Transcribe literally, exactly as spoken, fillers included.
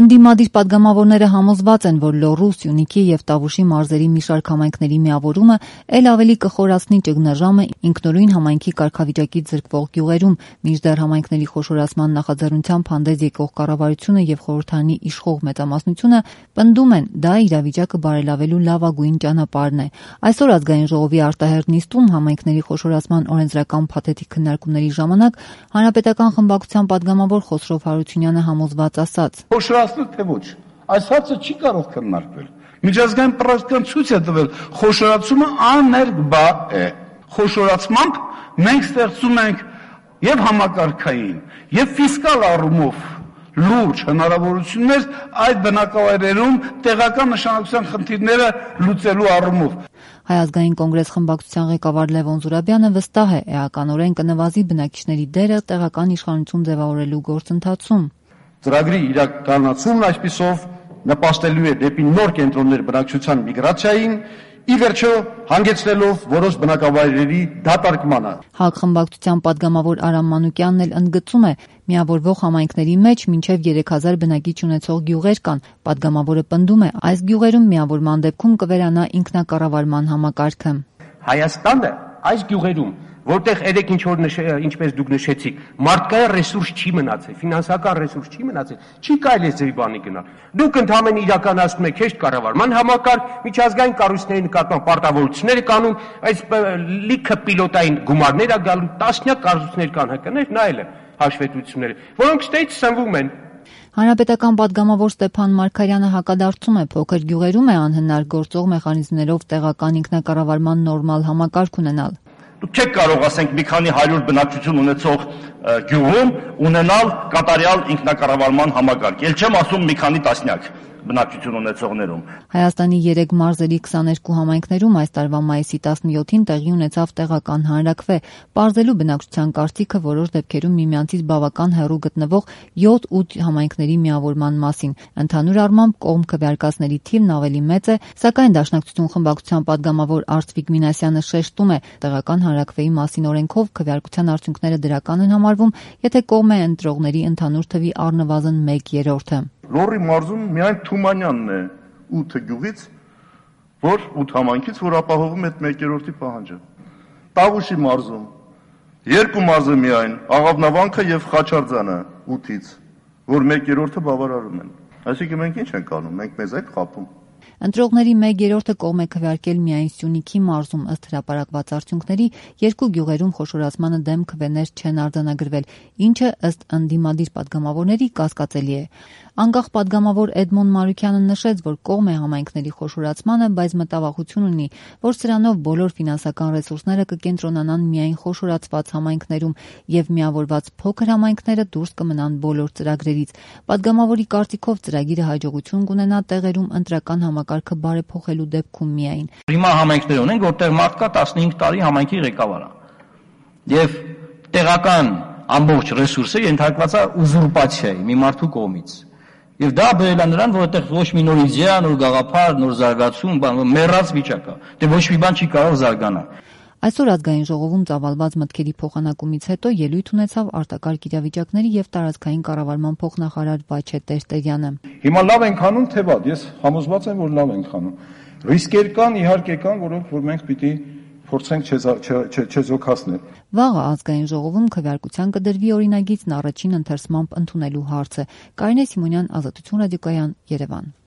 Ընդդիմադիր պատգամավորները համոզված են, որ Լոռու, Սյունիքի եւ Տավուշի մարզերի մի շարք համայնքների միավորումը ել ավելի կխորացնի ճգնաժամը ինքնուրույն համայնքի կարգավիճակից զրկվող գյուղերում, մինչդեռ համայնքների խոշորացման նախաձեռնությամբ հանդես եկող կառավարությունը եւ խորհրդարանի իշխող մեծամասնությունը պնդում են, դա իրավիճակը բարելավելու լավագույն ճանապարհն է։ Այսօր Ազգային ժողովի արտահերթ նիստում համայնքների խոշորացման օրենսդրական փաթեթի քննարկումների ժամանակ Հանրապետական խմբակցության պատգամավոր Խոսրով Հարությունյանը համոզված ասաց. Թե ոչ, այս հարցը չի կարող քննարկվել։ Միջազգային պրակտիկան ցույց է տվել, խոշորացումը աներկբա է։ Խոշորացմամբ մենք ստեղծում ենք եւ համակարգային, եւ ֆիսկալ առումով լուրջ հնարավորություններ այդ բնակավայրերում տեղական նշանակության խնդիրները լուծելու առումով։ Հայ ազգային կոնգրես խմբակցության ղեկավար Լևոն Զուրաբյանը վստահ է, էականորեն կնվազի բնակիչների դերը տեղական իշխանություն ձևավորելու գործընթացում։ Ծրագրի իրականացումն այսպիսով նպաստելու է դեպի նոր կենտրոններ բնակչության միգրացիային, ի վերջո հանգեցնելով որոշ բնակավայրերի դատարկմանը։ ՀԱԿ խմբակցության պատգամավոր Արամ Մանուկյանն էլ ընդգծում է, միավորվող համայնքների մեջ մինչև երեք հազար բնակիչ ունեցող գյուղեր կան։ Պատգամավորը պնդում է, այս գյուղերում միավորման դեպքում կվերանա ինքնակառավարման համակարգը։ Հայաստանը այս գյուղերում, որտեղ երեք ինչ որ ինչպես դուք նշեցիք, մարդկային ռեսուրս չի մնացել, ֆինանսական ռեսուրս չի մնացել, չի կարելի ձեւի բանի գնալ։ Դուք ընդհանրապես իրականացնում եք հեշտ կառավարման համակարգ, միջազգային կառույցների նկատմամբ պարտավորություններ կանոն, այս լիքը պիլոտային գումարներ ա գալու, տասնյակ կառույցներ կան ՀԿ-ներ, նայել եմ հաշվետվությունները, որոնք ստեյց սնվում են։ Հանրապետական պատգամավոր Ստեփան Մարգարյանը հակադարձում է, փոքր գյուղերում է անհնար գործող մեխանիզմներով տեղական ինքնակառավարման նորմալ համակարգ ունենալ։ Դուք չեք կարող, ասենք, մի քանի հարյուր բնակչություն ունեցող գյուղում ունենալ կատարյալ ինքնակառավարման համակարգ։ Ել չեմ ասում մի քանի տասնյակ բնակչություն ունեցողներում։ Հայաստանի երեք մարզերի քսաներկու համայնքներում այս տարվա մայիսի տասնյոթին տեղի ունեցավ տեղական հանրաքվե, պարզելու բնակչության կարծիքը որոշ դեպքերում միմյանցից բավական հեռու գտնվող յոթ-ութ համայնքների միավորման մասին։ Ընդհանուր առմամբ կողմ քվեարկածների թիվն ավելի մեծ է, սակայն Դաշնակցություն խմբակցության պատգամավոր Արծվիկ Մինասյանը շեշտում է, տեղական հանրաքվեի մասին օրենքով քվեարկության արդյունքները դրական են համարվում, եթե կողմ է ընտրողների ընդհանուր թվի առնվազն մեկ երրորդը։ Լոռի մարզում միայն Թումանյանն է ութ գյուղից, որ ութ համայնքից, որ ապահովում է մեկ երրորդի պահանջը։ Տավուշի մարզում երկու մարզը միայն, Աղավնավանքը եւ Խաչարձանը ութից, որ մեկ երրորդը բավարարում են։ Այսինքն մենք ինչ ենք անում, մենք մեզ այդ խափում։ Ընտրողների մեկ երրորդը կողմ է քվեարկել միայն Սյունիքի մարզում, ըստ հրապարակված արդյունքների, երկու գյուղերում խոշորացմանը դեմ քվեներ չեն արձանագրվել, ինչը ըստ ընդդիմադիր պատգամավորների կասկածելի է։ Անկախ պատգամավոր Էդմոն Մարուկյանը նշեց, որ կողմ է համայնքների խոշորացմանը, բայց մտավախություն ունի, որ սրանով բոլոր ֆինանսական ռեսուրսները կկենտրոնանան միայն խոշորացված համայնքներում եւ միավորված փոքր համայնքները դուրս կմնան բոլոր ծրագրերից։ Պատգամավորի կարծիքով ծրագիրը հաջողություն կունենա տեղերում ընտրական համակարգը բարեփոխելու դեպքում միայն։ Հիմա համայնքներ ունենք, որտեղ մարդ կա տասնհինգ տարի համայնքի ղեկավար է։ Եվ տեղական ամբողջ ռեսուրսը ենթարկված է ուզուրպացիայի մի մարդու կողմից։ Եվ դա բերել է նրան, որ այդտեղ ոչ մի նոր իդեա, նոր գաղափար, նոր զարգացում, մեռած վիճակ է։ Դե ոչ մի բան չի կարող զարգանալ։ Այսօր Ազգային ժողովում ծավալված մտքերի փոխանակումից հետո ելույթ ունեցավ արտակարգ իրավիճակների եւ տարածքային կառավարման փոխնախարար Վաչե Տերտերյանը։ Հիմա լավ ենք անում, թե վատ, ես համոզված եմ, որ լավ ենք անում։ Ռիսկեր կան, իհարկե կան, որոնք որ մենք պիտի փորձենք չեզոքացնել։ Վաղը Ազգային ժողովում քվեարկության կդրվի օրինագիծն առաջին ընթերցմամբ ընդունելու հարցը։ Կարինե Սիմոնյան, Ազատություն ռադիոկայան, Երևան։